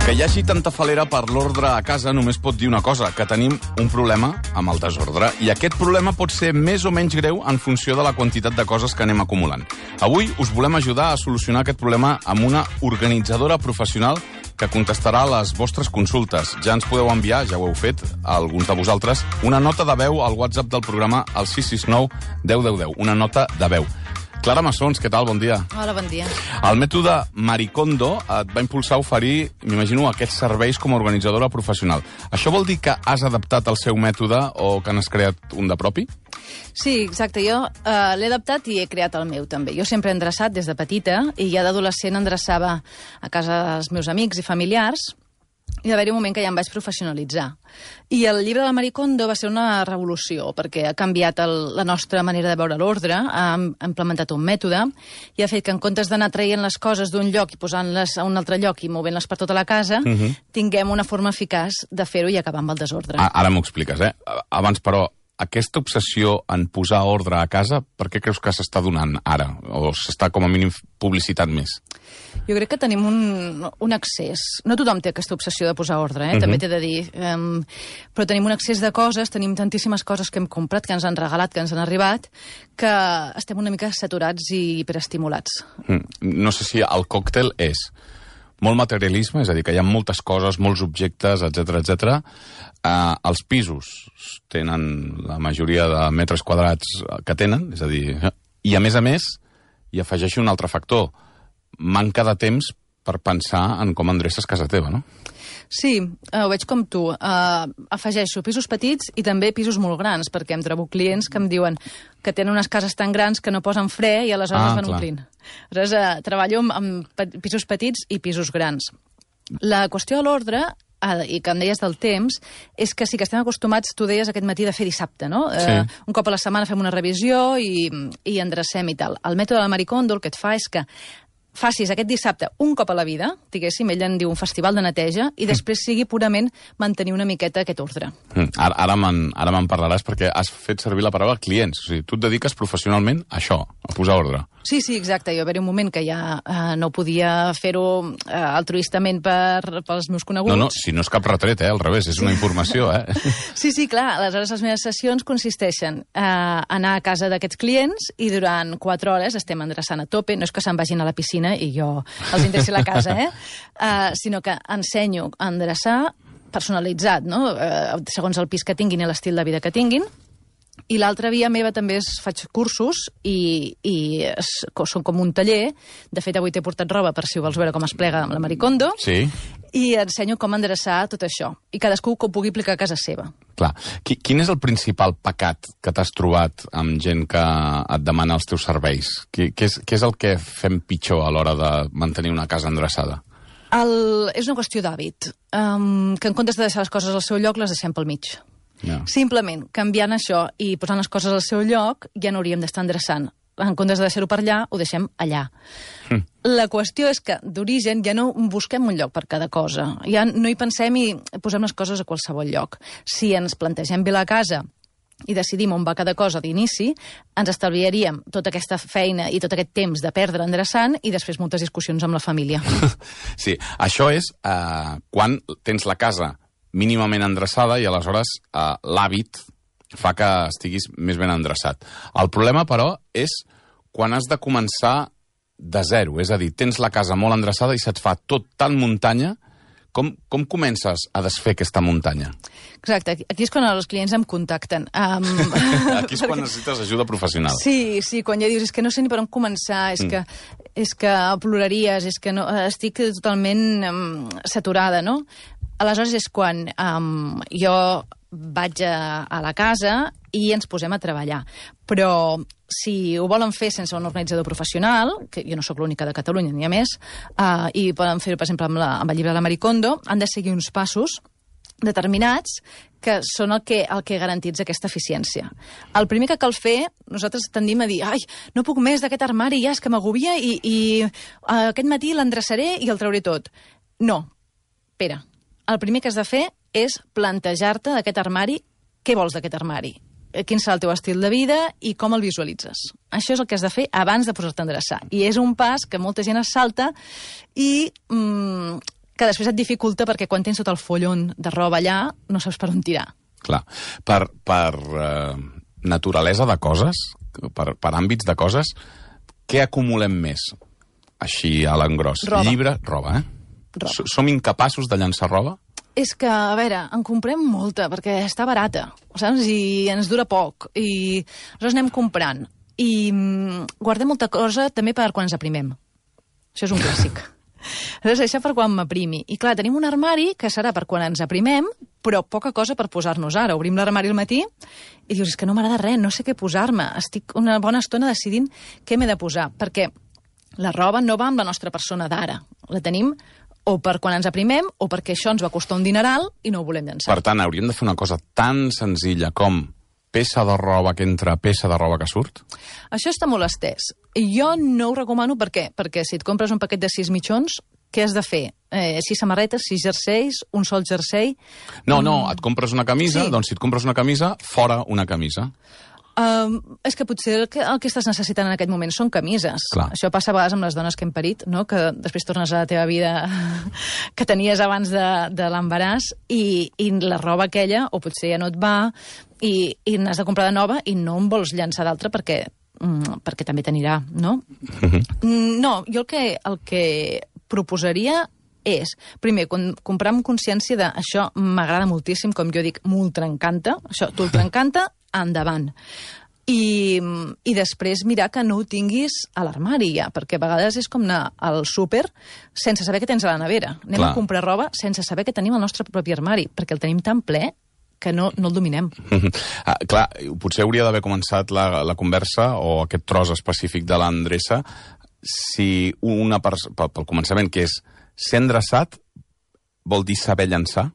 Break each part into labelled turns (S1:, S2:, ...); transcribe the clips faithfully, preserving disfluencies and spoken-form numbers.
S1: Que hi hagi tanta falera per l'ordre a casa només pot dir una cosa, que tenim un problema amb el desordre. I aquest problema pot ser més o menys greu en funció de la quantitat de coses que anem acumulant. Avui us volem ajudar a solucionar aquest problema amb una organitzadora professional que contestarà les vostres consultes. Ja ens podeu enviar, ja ho heu fet, a alguns de vosaltres, una nota de veu al WhatsApp del programa al sis sis nou deu deu deu. Una nota de veu. Clara Massons, què tal? Bon dia.
S2: Hola, bon dia.
S1: El mètode Maricondo et va impulsar a oferir, m'imagino, aquests serveis com a organitzadora professional. Això vol dir que has adaptat el seu mètode o que n'has creat un de propi?
S2: Sí, exacte. Jo uh, l'he adaptat i he creat el meu, també. Jo sempre he endreçat des de petita i ja d'adolescent endreçava a casa dels meus amics i familiars. I va haver-hi un moment que ja em vaig professionalitzar. I el llibre de Maricondo va ser una revolució, perquè ha canviat el, la nostra manera de veure l'ordre, ha, ha implementat un mètode, i ha fet que en comptes d'anar traient les coses d'un lloc i posant-les a un altre lloc i movent-les per tota la casa, uh -huh. tinguem una forma eficaç de fer-ho i acabar amb el desordre.
S1: Ah, ara m'ho expliques, eh? Abans, però, aquesta obsessió en posar ordre a casa, per què creus que s'està donant ara? O s'està, com a mínim, publicitat més?
S2: Jo crec que tenim un, un excés. No tothom té aquesta obsessió de posar ordre, eh? Uh-huh. També t'he de dir. Um, però tenim un excés de coses, tenim tantíssimes coses que hem comprat, que ens han regalat, que ens han arribat, que estem una mica saturats i hiperestimulats.
S1: Mm. No sé si el còctel és molt materialisme, és a dir, que hi ha moltes coses, molts objectes, etcètera, etcètera. Uh, els pisos tenen la majoria de metres quadrats que tenen, és a dir, i a més a més, hi afegeixo un altre factor, manca de temps per pensar en com endreces casa teva, no?
S2: Sí, uh, ho veig com tu. Uh, afegeixo pisos petits i també pisos molt grans, perquè em trobo clients que em diuen que tenen unes cases tan grans que no posen fre i aleshores
S1: ah,
S2: es van
S1: clar.
S2: omplint. Aleshores, uh, treballo amb, amb pisos petits i pisos grans. La qüestió de l'ordre, uh, i que em deies del temps, és que sí que estem acostumats, tu deies aquest matí, de fer dissabte, no?
S1: Sí.
S2: Uh, un cop a la setmana fem una revisió i, i endrecem i tal. El mètode de Maricondo el que et fa és que facis aquest dissabte un cop a la vida, diguéssim, ell en diu un festival de neteja, i després sigui purament mantenir una miqueta aquest ordre.
S1: Mm, ara ara me'n ara me'n parlaràs perquè has fet servir la paraula clients. O sigui, tu et dediques professionalment a això, a posar ordre.
S2: Sí, sí, exacte. Jo va haver un moment que ja eh, no podia fer-ho eh, altruistament per, pels meus coneguts.
S1: No, no, si no és cap retret, eh? Al revés, és una informació, eh?
S2: Sí, sí, clar. Aleshores, les meves sessions consisteixen a eh, anar a casa d'aquests clients i durant quatre hores estem endreçant a tope. No és que se'n vagin a la piscina i jo els interessi la casa, eh? Uh, sinó que ensenyo a endreçar personalitzat, no? Uh, segons el pis que tinguin i l'estil de vida que tinguin. I l'altra via meva també és faig cursos i, i es, són com un taller. De fet, avui t'he portat roba per si ho vols veure com es plega amb la Maricondo.
S1: Sí.
S2: I ensenyo com endreçar tot això. I cadascú que ho pugui aplicar a casa seva.
S1: Clar. Quin és el principal pecat que t'has trobat amb gent que et demana els teus serveis? Què és, què és el que fem pitjor a l'hora de mantenir una casa endreçada?
S2: El, és una qüestió d'hàbit. Um, que en comptes de deixar les coses al seu lloc, les deixem pel mig.
S1: Yeah.
S2: Simplement, canviant això i posant les coses al seu lloc, ja no hauríem d'estar endreçant. En comptes de deixar-ho per allà, ho deixem allà. Mm. La qüestió és que, d'origen, ja no busquem un lloc per cada cosa. Ja no hi pensem i posem les coses a qualsevol lloc. Si ens plantegem bé la casa i decidim on va cada cosa d'inici, ens estalviaríem tota aquesta feina i tot aquest temps de perdre endreçant i després moltes discussions amb la família.
S1: Sí, això és eh, quan tens la casa mínimament endreçada i aleshores eh, l'hàbit fa que estiguis més ben endreçat. El problema, però, és quan has de començar de zero. És a dir, tens la casa molt endreçada i se't fa tot tan muntanya. Com, com comences a desfer aquesta muntanya?
S2: Exacte. Aquí és quan els clients em contacten. Um,
S1: Aquí és quan necessites ajuda professional.
S2: Sí, sí, quan ja dius, és que no sé ni per on començar, és, mm. que, és que ploraries, és que no, estic totalment um, saturada, no? Aleshores és quan um, jo vaig a, a la casa i ens posem a treballar. Però si ho volen fer sense un organitzador professional, que jo no sóc l'única de Catalunya ni a més, uh, i poden fer-ho, per exemple, amb, la, amb el llibre de la Maricondo, han de seguir uns passos determinats que són el que, el que garantitza aquesta eficiència. El primer que cal fer, nosaltres tendim a dir ai, no puc més d'aquest armari, ja és que m'agobia i, i uh, aquest matí l'endreçaré i el trauré tot. No, espera. El primer que has de fer és plantejar-te d'aquest armari què vols d'aquest armari, quin serà el teu estil de vida i com el visualitzes. Això és el que has de fer abans de posar-te a endreçar. I és un pas que molta gent es salta i mm, que després et dificulta perquè quan tens tot el follon de roba allà no saps per on tirar.
S1: Clar. Per, per uh, naturalesa de coses, per, per àmbits de coses, què acumulem més? Així a l'engròs.
S2: Roba.
S1: Llibre, roba, eh?
S2: Roba.
S1: Som incapaços de llançar roba?
S2: És que, a veure, en comprem molta, perquè està barata, saps? I ens dura poc. I aleshores anem comprant. I mm, guardem molta cosa també per quan ens aprimem. Això és un clàssic. Aleshores, això per quan m'aprimi. I clar, tenim un armari que serà per quan ens aprimem, però poca cosa per posar-nos ara. Obrim l'armari al matí i dius, és que no m'agrada res, no sé què posar-me. Estic una bona estona decidint què m'he de posar, perquè la roba no va amb la nostra persona d'ara. La tenim o per quan ens aprimem o perquè això ens va costar un dineral i no ho volem llançar.
S1: Per tant, hauríem de fer una cosa tan senzilla com peça de roba que entra, peça de roba que surt?
S2: Això està molt estès. Jo no ho recomano, per què? Perquè si et compres un paquet de sis mitjons, què has de fer? Eh, sis samarretes, sis jerseis, un sol jersei...
S1: No, no, et compres una camisa,
S2: Sí.
S1: doncs si et compres una camisa, fora una camisa.
S2: Um, és que potser el que, el que estàs necessitant en aquest moment són camises.
S1: Clar.
S2: Això passa a vegades amb les dones que hem parit, no? Que després tornes a la teva vida que tenies abans de, de l'embaràs i, i la roba aquella, o potser ja no et va, i, i n'has de comprar de nova i no en vols llançar d'altra perquè, mm, perquè també t'anirà, no? Mm, no, jo el que, el que proposaria és, primer, com, comprar amb consciència de això m'agrada moltíssim, com jo dic, m'ultraencanta, això t'ultraencanta, endavant. I, I després mirar que no ho tinguis a l'armari ja, perquè a vegades és com anar al súper sense saber què tens a la nevera. Anem
S1: Clar.
S2: a comprar roba sense saber que tenim el nostre propi armari, perquè el tenim tan ple que no, no el dominem.
S1: Ah, clar, potser hauria d'haver començat la, la conversa o aquest tros específic de l'endreça si una pers- pel, pel començament, que és ser endreçat, vol dir saber llançar?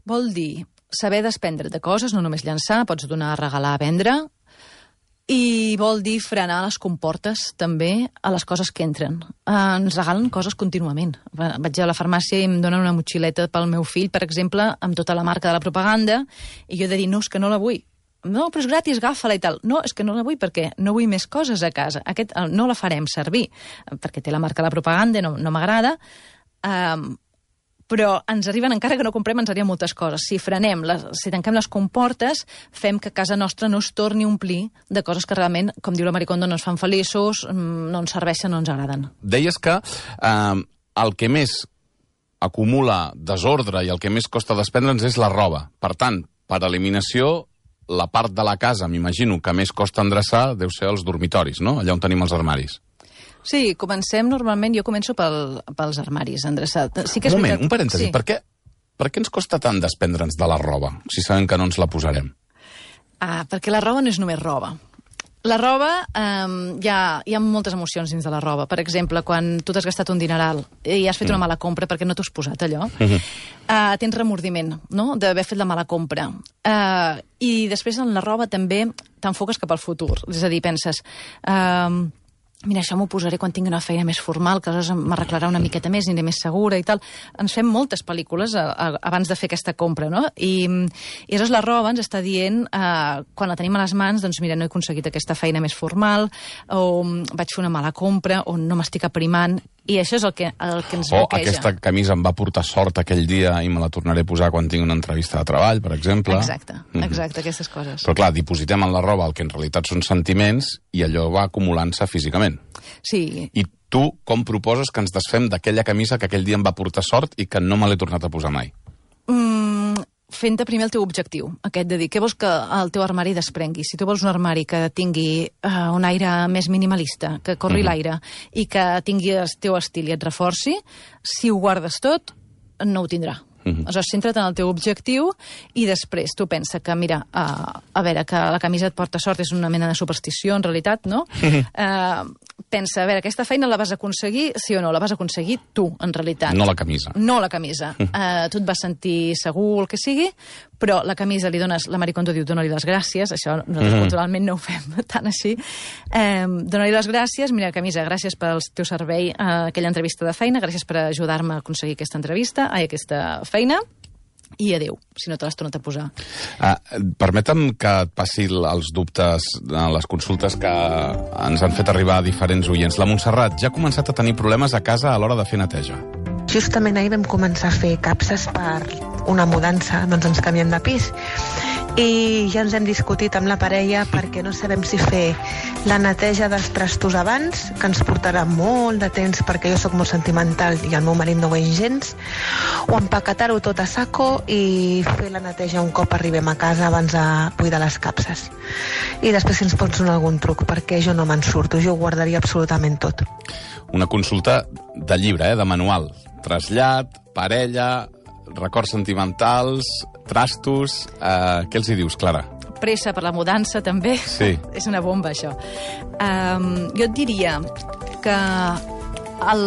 S2: Vol dir saber desprendre't de coses, no només llançar, pots donar a regalar, a vendre, i vol dir frenar les comportes també a les coses que entren. Eh, ens regalen coses contínuament. Vaig a la farmàcia i em donen una motxileta pel meu fill, per exemple, amb tota la marca de la propaganda, i jo he de dir, no, és que no la vull. No, però és gratis, agafa-la i tal. No, és que no la vull perquè no vull més coses a casa. Aquest, no la farem servir, perquè té la marca de la propaganda, no, no m'agrada. Um, però ens arriben, encara que no comprem, ens arriben moltes coses. Si frenem, les, si tanquem les comportes, fem que casa nostra no es torni a omplir de coses que realment, com diu la Maricondo, no ens fan feliços, no ens serveixen, no ens agraden.
S1: Deies que eh, el que més acumula desordre i el que més costa desprendre'ns és la roba. Per tant, per eliminació, la part de la casa, m'imagino, que més costa endreçar deu ser els dormitoris, no? Allà on tenim els armaris.
S2: Sí, comencem normalment, jo començo pel, pels armaris, endreçat. Sí que és
S1: un moment,
S2: veritat,
S1: un parèntesi.
S2: sí.
S1: Per què, per què ens costa tant desprendre'ns de la roba, si sabem que no ens la posarem?
S2: Ah, perquè la roba no és només roba. La roba, um, hi, ha, hi ha moltes emocions dins de la roba. Per exemple, quan tu t'has gastat un dineral i has fet una mala compra perquè no t'ho has posat, allò, uh-huh. uh, tens remordiment, no?, d'haver fet la mala compra. Uh, I després en la roba també t'enfoques cap al futur. És a dir, penses... Uh, mira, això m'ho posaré quan tingui una feina més formal, que aleshores m'arreglarà una miqueta més, aniré més segura i tal. Ens fem moltes pel·lícules a, a, abans de fer aquesta compra, no? I, i aleshores la roba ens està dient, eh, quan la tenim a les mans, doncs mira, no he aconseguit aquesta feina més formal, o vaig fer una mala compra, o no m'estic aprimant, i això és el que, el que ens
S1: O
S2: bloqueja.
S1: aquesta camisa em va portar sort aquell dia i me la tornaré a posar quan tingui una entrevista de treball, per exemple.
S2: Exacte, exacte, aquestes coses.
S1: Però clar, dipositem en la roba el que en realitat són sentiments i allò va acumulant-se físicament.
S2: Sí.
S1: I tu com proposes que ens desfem d'aquella camisa que aquell dia em va portar sort i que no me l'he tornat a posar mai?
S2: Mm, fent-te primer el teu objectiu, aquest de dir, què vols que el teu armari desprengui? Si tu vols un armari que tingui uh, un aire més minimalista, que corri uh-huh. l'aire i que tingui el teu estil i et reforci, si ho guardes tot, no ho tindrà. Uh-huh. Aleshores, centra't en el teu objectiu i després tu pensa que, mira, uh, a veure, que la camisa et porta sort és una mena de superstició, en realitat, no? Uh-huh. Uh, pensa, a veure, aquesta feina la vas aconseguir, sí o no? La vas aconseguir tu, en realitat.
S1: No la camisa.
S2: No la camisa. Uh-huh. Uh, tu et vas sentir segur, el que sigui, però la camisa li dones, la Maricondo diu, dona-li les gràcies, això nosaltres uh-huh. culturalment no ho fem tan així. Um, dona-li les gràcies, mira, camisa, gràcies pel teu servei a aquella entrevista de feina, gràcies per ajudar-me a aconseguir aquesta entrevista, ai, aquesta feina, i adéu, si no te l'has tornat a posar.
S1: Uh, permetem que et passi els dubtes, les consultes que ens han fet arribar a diferents oients. La Montserrat ja ha començat a tenir problemes a casa a l'hora de fer neteja.
S3: Justament ahir vam començar a fer capses per una mudança, doncs ens canviem de pis. I ja ens hem discutit amb la parella perquè no sabem si fer la neteja dels trastos abans, que ens portarà molt de temps perquè jo sóc molt sentimental i el meu marit no ho és gens, o empaquetar-ho tot a saco i fer la neteja un cop arribem a casa abans de buidar les capses. I després si ens pots donar algun truc, perquè jo no me'n surto, jo ho guardaria absolutament tot.
S1: Una consulta de llibre, eh, de manual. Trasllat, parella, records sentimentals, trastos... Eh, què els hi dius, Clara?
S2: Pressa per la mudança, també.
S1: Sí.
S2: És una bomba, això. Um, jo et diria que el...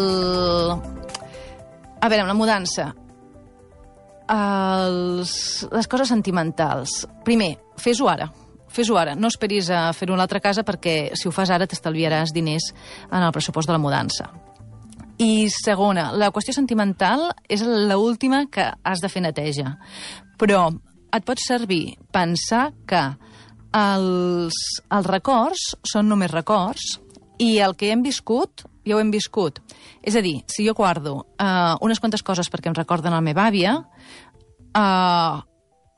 S2: A veure, amb la mudança, els... les coses sentimentals. Primer, fes-ho ara. Fes-ho ara. No esperis a fer-ho a l'altra casa perquè si ho fas ara t'estalviaràs diners en el pressupost de la mudança. I segona, la qüestió sentimental és l'última que has de fer neteja. Però et pot servir pensar que els, els records són només records i el que hem viscut, ja ho hem viscut. És a dir, si jo guardo uh, unes quantes coses perquè em recorden la meva àvia, uh,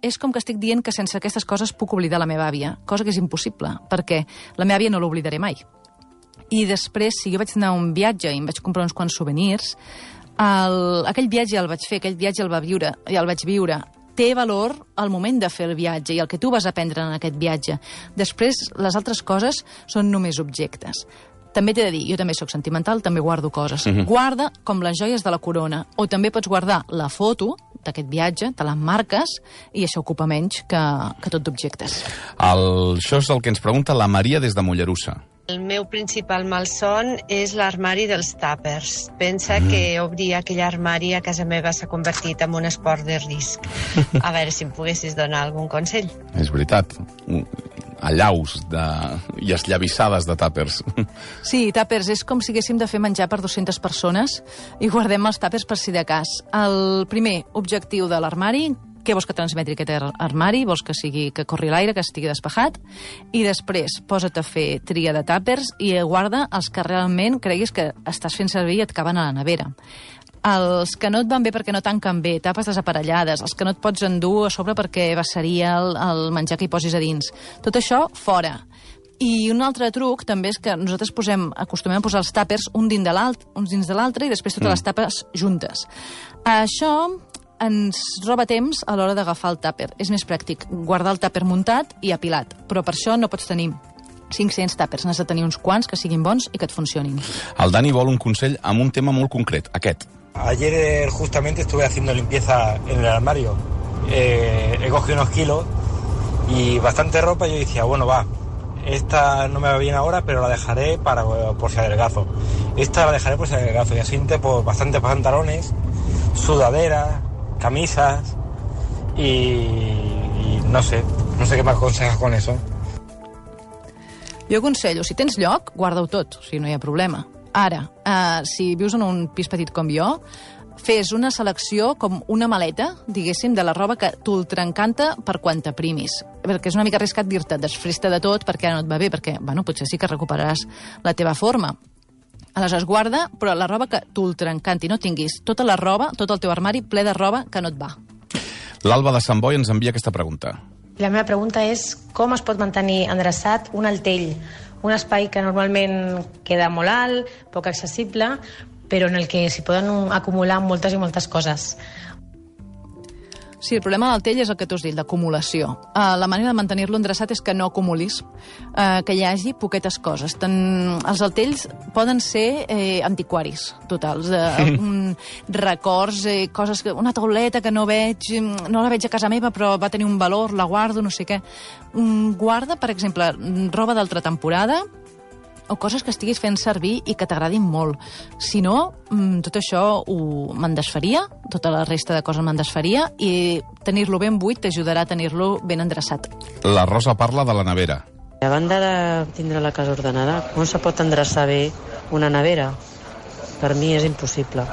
S2: és com que estic dient que sense aquestes coses puc oblidar la meva àvia, cosa que és impossible, perquè la meva àvia no l'oblidaré mai. I després, si jo vaig anar a un viatge i em vaig comprar uns quants souvenirs, el, aquell viatge el vaig fer, aquell viatge el, va viure, el vaig viure. Té valor al moment de fer el viatge i el que tu vas aprendre en aquest viatge. Després, les altres coses són només objectes. També t'he de dir, jo també sóc sentimental, també guardo coses. Uh-huh. Guarda com les joies de la corona, o també pots guardar la foto d'aquest viatge, te l'emmarques, i això ocupa menys que, que tot d'objectes.
S1: El, això és el que ens pregunta la Maria des de Mollerussa.
S4: El meu principal malson és l'armari dels tàpers. Pensa mm. que obrir aquell armari a casa meva s'ha convertit en un esport de risc. A veure si em poguessis donar algun consell.
S1: És veritat. Allaus de... i esllavissades de tàpers.
S2: Sí, tàpers. És com si haguéssim de fer menjar per dues-centes persones i guardem els tàpers per si de cas. El primer objectiu de l'armari... Què vols que transmeti aquest armari? Vols que sigui que corri l'aire, que estigui despejat? I després posa't a fer tria de tàpers i guarda els que realment creguis que estàs fent servir i et caben a la nevera. Els que no et van bé perquè no tanquen bé, tapes desaparellades, els que no et pots endur a sobre perquè vessaria el, el menjar que hi posis a dins. Tot això, fora. I un altre truc també és que nosaltres posem, acostumem a posar els tàpers un dins de l'altre, uns dins de l'altre i després totes mm. les tapes juntes. Això ens roba temps a l'hora d'agafar el tàper. És més pràctic guardar el tàper muntat i apilat, però per això no pots tenir cinc-cents tàpers, n'has de tenir uns quants que siguin bons i que et funcionin.
S1: El Dani vol un consell amb un tema molt concret, aquest.
S5: Ayer justamente estuve haciendo limpieza en el armario. Eh, he cogido unos kilos y bastante ropa y yo decía, bueno, va, esta no me va bien ahora, pero la dejaré para, por si adelgazo. Esta la dejaré por si adelgazo. Y así pues bastantes pantalones, sudaderas, camisas y, y no sé, no sé què m'aconsegues con eso.
S2: Jo aconsello, si tens lloc, guarda-ho tot, o sigui, no hi ha problema. Ara, eh, si vius en un pis petit com jo, fes una selecció com una maleta, diguéssim, de la roba que t'ultraencanta per quan t'aprimis. Perquè és una mica arriscat dir-te, desfresta de tot perquè ara no et va bé, perquè, bueno, potser sí que recuperaràs la teva forma. Aleshores, guarda, però la roba que t'ultraencanti, no tinguis tota la roba, tot el teu armari ple de roba que no et va.
S1: L'Alba de Sant Boi ens envia aquesta pregunta.
S6: La meva pregunta és com es pot mantenir endreçat un altell, un espai que normalment queda molt alt, poc accessible, però en el que s'hi poden acumular moltes i moltes coses.
S2: Sí, el problema del tell és el que tu has dit, l'acumulació. Uh, la manera de mantenir-lo endreçat és que no acumulis, uh, que hi hagi poquetes coses. Ten... Els altells poden ser eh, antiquaris, totals. Uh, um, records, eh, coses... Que... Una tauleta que no veig, no la veig a casa meva, però va tenir un valor, la guardo, no sé què. Um, guarda, per exemple, roba d'altra temporada, o coses que estiguis fent servir i que t'agradin molt. Si no, tot això ho me'n desfaria, tota la resta de coses me'n desfaria, i tenir-lo ben buit t'ajudarà a tenir-lo ben endreçat.
S1: La Rosa parla de la nevera.
S7: A banda de tindre la casa ordenada, com se pot endreçar bé una nevera? Per mi és impossible.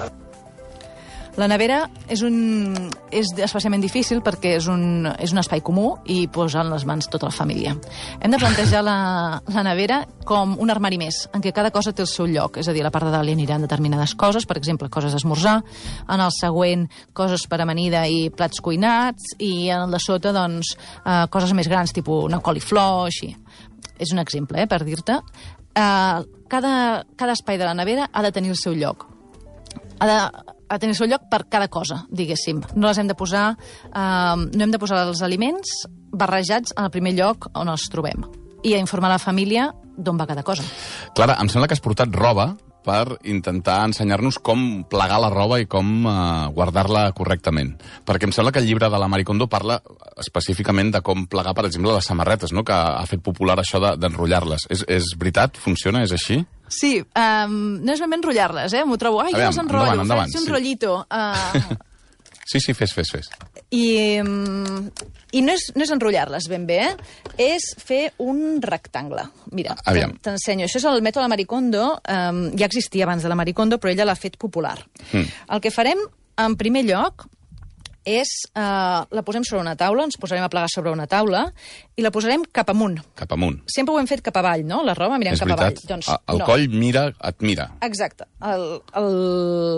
S2: La nevera és, un, és especialment difícil perquè és un, és un espai comú i posa en les mans tota la família. Hem de plantejar la, la nevera com un armari més, en què cada cosa té el seu lloc. És a dir, a la part de dalt hi aniran determinades coses, per exemple, coses d'esmorzar, en el següent, coses per amanida i plats cuinats, i en el de sota, doncs, eh, coses més grans, tipus una coliflor, així. És un exemple, eh, per dir-te. Eh, cada, cada espai de la nevera ha de tenir el seu lloc. Ha de, ha de tenir el seu lloc per cada cosa, diguéssim. No les hem de posar, eh, no hem de posar els aliments barrejats en el primer lloc on els trobem. I a informar la família d'on va cada cosa.
S1: Clara, em sembla que has portat roba per intentar ensenyar-nos com plegar la roba i com uh, guardar-la correctament. Perquè em sembla que el llibre de la Marie Kondo parla específicament de com plegar, per exemple, les samarretes, no? Que ha fet popular això d'enrotllar-les. És, és veritat? Funciona? És així?
S2: Sí, um, no és ben bé enrotllar-les, eh? M'ho trobo, ai, jo les enrotllo, endavant, endavant, faig un sí. rotllito. Uh...
S1: Sí, sí, fes, fes, fes.
S2: I, i no és, no és enrotllar-les ben bé, eh? És fer un rectangle. Mira, t'ensenyo. Això és el mètode de la Marie Kondo. Um, ja existia abans de la Marie Kondo, però ella l'ha fet popular. Mm. El que farem, en primer lloc, és... Uh, la posem sobre una taula, ens posarem a plegar sobre una taula, i la posarem cap amunt.
S1: Cap amunt.
S2: Sempre ho hem fet cap avall, no? La roba mirem
S1: és
S2: cap
S1: veritat.
S2: avall. Doncs,
S1: el
S2: no.
S1: coll mira, et mira.
S2: Exacte. El, el,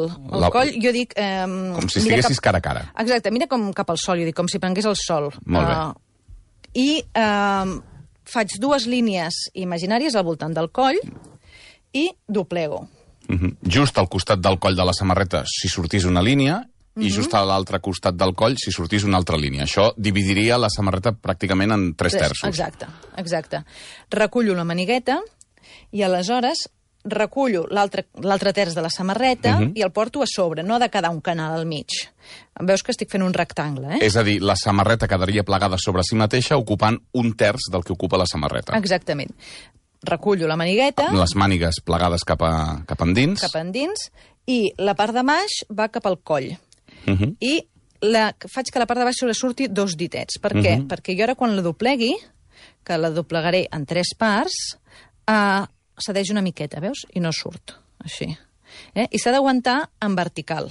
S2: el la... coll, jo dic... Um,
S1: com si estiguessis
S2: cap...
S1: cara a cara.
S2: Exacte, mira com cap al sol, jo dic, com si prengués el sol.
S1: Molt bé.
S2: Uh, I uh, faig dues línies imaginàries al voltant del coll i doblego.
S1: Uh -huh. Just al costat del coll de la samarreta, si sortís una línia, i just a l'altre costat del coll si sortís una altra línia. Això dividiria la samarreta pràcticament en tres terços.
S2: Exacte, exacte. Recullo la manigueta i aleshores recullo l'altre terç de la samarreta uh-huh. i el porto a sobre. No ha de quedar un canal al mig. Veus que estic fent un rectangle, eh?
S1: És a dir, la samarreta quedaria plegada sobre si mateixa ocupant un terç del que ocupa la samarreta.
S2: Exactament. Recullo la manigueta...
S1: Les mànigues plegades cap, a, cap endins.
S2: Cap endins. I la part de baix va cap al coll.
S1: Uh -huh.
S2: I la, faig que la part de baix sobresurti dos ditets. Per què? Uh -huh. Perquè jo ara quan la doblegui, que la doblegaré en tres parts, eh, cedeix una miqueta, veus? I no surt, així. Eh? I s'ha d'aguantar en vertical,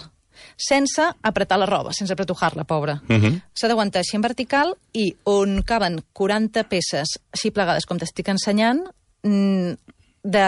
S2: sense apretar la roba, sense apretujar-la, pobra. Uh -huh. S'ha d'aguantar així en vertical i on caben quaranta peces així plegades, com t'estic ensenyant, de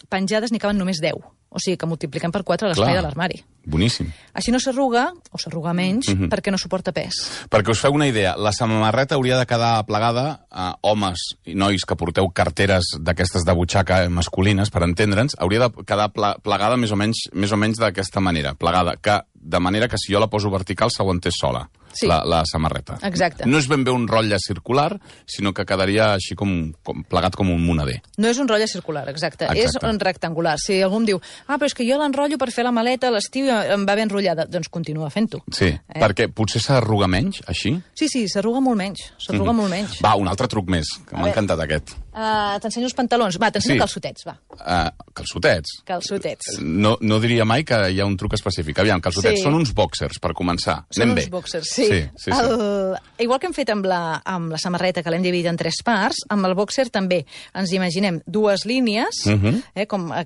S2: penjades n'hi caben només deu. O sigui que multipliquem per quatre l'espai de l'armari.
S1: Boníssim.
S2: Així no s'arruga, o s'arruga menys, uh-huh. perquè no suporta pes.
S1: Perquè us feu una idea, la samarreta hauria de quedar plegada a homes i nois que porteu carteres d'aquestes de butxaca masculines, per entendre'ns, hauria de quedar plegada més o menys, més o menys d'aquesta manera, plegada, que de manera que si jo la poso vertical s'aguantés sola. Sí. La, la samarreta.
S2: Exacte.
S1: No és ben bé un rotlle circular, sinó que quedaria així com, com plegat com un monader.
S2: No és un rotlle circular, exacte. exacte. És un rectangular. Si algú em diu, ah, però és que jo l'enrotllo per fer la maleta a l'estiu i em va ben enrotllada, doncs continua fent-ho.
S1: Sí, eh? Perquè potser s'arruga menys, així?
S2: Sí, sí, s'arruga molt menys. S'arruga mm-hmm. molt menys.
S1: Va, un altre truc més, que m'ha encantat aquest.
S2: Uh, t'ensenyo els pantalons. Va, t'ensenyo sí. calçotets, va.
S1: Uh, calçotets?
S2: Calçotets.
S1: No, no diria mai que hi ha un truc específic. Aviam, calçotets sí. són uns boxers, per començar.
S2: Són
S1: Anem
S2: uns
S1: bé.
S2: boxers, sí.
S1: Sí, sí, sí.
S2: El... Igual que hem fet amb la, amb la samarreta, que l'hem dividit en tres parts, amb el boxer també ens imaginem dues línies, uh-huh. eh, com el,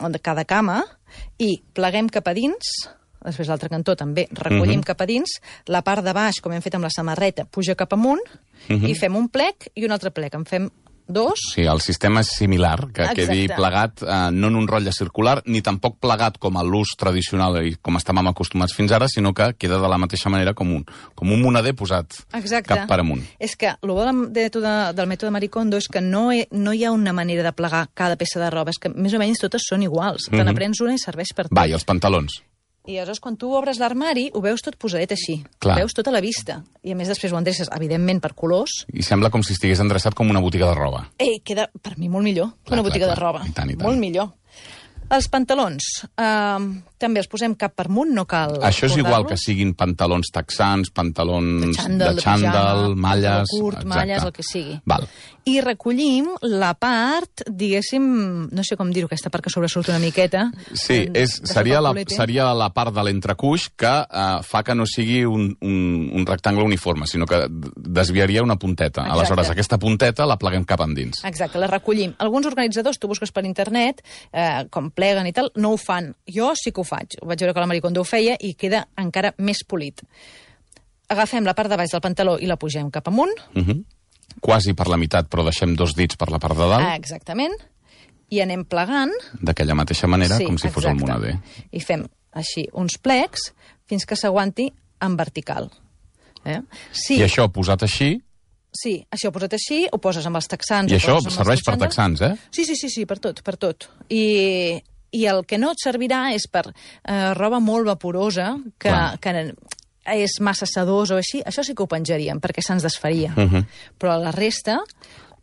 S2: el, cada cama, i pleguem cap a dins, després l'altre cantó també recollim uh-huh. cap a dins, la part de baix, com hem fet amb la samarreta, puja cap amunt, uh-huh. i fem un plec i un altre plec. En fem dos.
S1: Sí, el sistema és similar, que Exacte. quedi plegat eh, no en un rotlle circular, ni tampoc plegat com a l'ús tradicional i com estàvem acostumats fins ara, sinó que queda de la mateixa manera com un, com un monader posat
S2: Exacte.
S1: cap per amunt.
S2: És que el bo del mètode, del mètode Marie Kondo és que no, he, no hi ha una manera de plegar cada peça de roba, és que més o menys totes són iguals. Te n'aprens una i serveix per tot.
S1: Va, i els pantalons?
S2: I aleshores, quan tu obres l'armari, ho veus tot posadet així.
S1: Clar.
S2: Ho veus tot a la vista. I a més després ho endreces, evidentment, per colors.
S1: I sembla com si estigués endreçat com una botiga de roba.
S2: Ei, queda, per mi, molt millor que clar, una botiga clar, clar. de roba.
S1: I tant, i tant.
S2: Molt millor. Els pantalons, eh, també els posem cap per amunt, no cal...
S1: Això és igual que siguin pantalons texans, pantalons de xàndal, de xàndal malles...
S2: curt, exacte. malles, el que sigui.
S1: Val.
S2: I recollim la part, diguéssim, no sé com dir-ho, aquesta part que sobresurt una miqueta.
S1: Sí, és, seria, la, seria la part de l'entrecuix que uh, fa que no sigui un, un, un rectangle uniforme, sinó que desviaria una punteta. Exacte. Aleshores, aquesta punteta la pleguem cap endins.
S2: Exacte, la recollim. Alguns organitzadors, tu busques per internet, eh, com pleguen i tal, no ho fan. Jo sí que ho faig. faig. Vaig veure que la Marie Kondo ho feia i queda encara més polit. Agafem la part de baix del pantaló i la pugem cap amunt.
S1: Uh-huh. Quasi per la meitat, però deixem dos dits per la part de dalt.
S2: Ah, exactament. I anem plegant.
S1: D'aquella mateixa manera,
S2: sí,
S1: com si fos
S2: exacte.
S1: el moneder.
S2: I fem així uns plecs fins que s'aguanti en vertical. Eh? Sí.
S1: I això posat així...
S2: Sí, això posat així, ho poses amb els texans...
S1: I això
S2: serveix
S1: serveix per texans, eh?
S2: Sí, sí, sí, sí, per tot, per tot. I, i el que no et servirà és per eh, roba molt vaporosa, que, que és massa sedós o així, això sí que ho penjaríem, perquè se'ns desfaria. Uh -huh. Però la resta...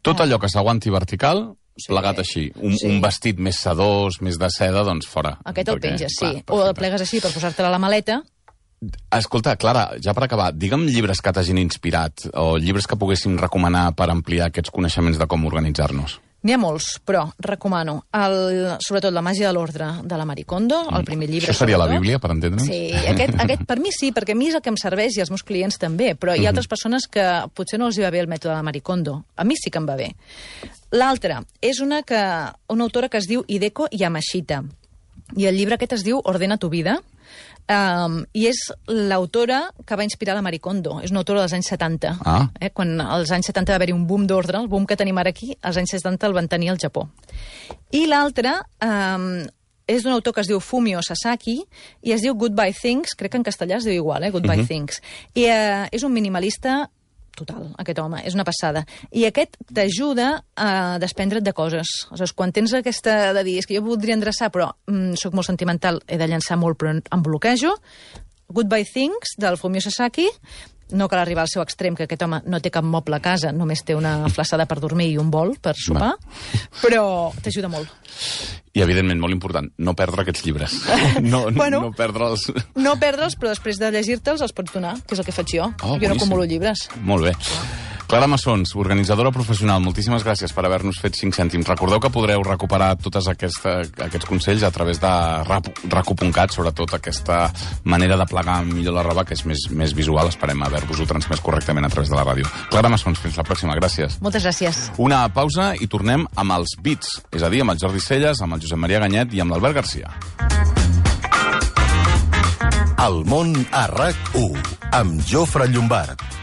S1: Tot allò que s'aguanti vertical... Sí, plegat així. Un,
S2: sí.
S1: un vestit més sedós, més de seda, doncs fora.
S2: Aquest el penges, sí.
S1: Clar,
S2: o el plegues així per posar-te-la a la maleta.
S1: Escolta, Clara, ja per acabar, digue'm llibres que t'hagin inspirat o llibres que poguéssim recomanar per ampliar aquests coneixements de com organitzar-nos.
S2: N'hi ha molts, però recomano el, sobretot La màgia de l'ordre de la Marie Kondo, el primer llibre.
S1: Això seria
S2: sobretot.
S1: la Bíblia, per entendre'ns?
S2: Sí, aquest, aquest per mi sí, perquè a mi és el que em serveix i als meus clients també, però hi ha altres persones que potser no els hi va bé el mètode de la Marie Kondo. A mi sí que em va bé. L'altra és una, que, una autora que es diu Hideko Yamashita, i el llibre aquest es diu Ordena tu vida, Um, i és l'autora que va inspirar la Marie Kondo. És una autora dels anys setanta.
S1: Ah.
S2: Eh? Quan als anys setanta va haver-hi un boom d'ordre, el boom que tenim ara aquí, als anys setanta el van tenir al Japó. I l'altra um, és d'un autor que es diu Fumio Sasaki i es diu Goodbye Things, crec que en castellà es diu igual, eh? Goodbye uh-huh. Things. I uh, és un minimalista total, aquest home, és una passada. I aquest t'ajuda a desprendre't de coses. Aleshores, quan tens aquesta de dir, és que jo voldria endreçar, però mm, sóc molt sentimental, he de llançar molt, però em bloquejo, Goodbye Things, del Fumio Sasaki, no cal arribar al seu extrem, que aquest home no té cap moble a casa, només té una flaçada per dormir i un bol per sopar, però t'ajuda molt.
S1: I, evidentment, molt important, no perdre aquests llibres. No,
S2: bueno,
S1: no perdre'ls.
S2: No perdre'ls, però després de llegir-te'ls els pots donar, que és el que faig jo.
S1: Oh,
S2: jo no acumulo llibres.
S1: Molt bé. Clara Massons, organitzadora professional, moltíssimes gràcies per haver-nos fet cinc cèntims. Recordeu que podreu recuperar tots aquesta, aquests consells a través de racu punt cat, sobretot aquesta manera de plegar millor la roba, que és més, més visual. Esperem haver-vos-ho transmès correctament a través de la ràdio. Clara Massons, fins la pròxima. Gràcies.
S2: Moltes gràcies.
S1: Una pausa i tornem amb els Beats, és a dir, amb el Jordi Celles, amb el Josep Maria Ganyet i amb l'Albert Garcia.
S8: El món a RAC u, amb Jofre Llombard.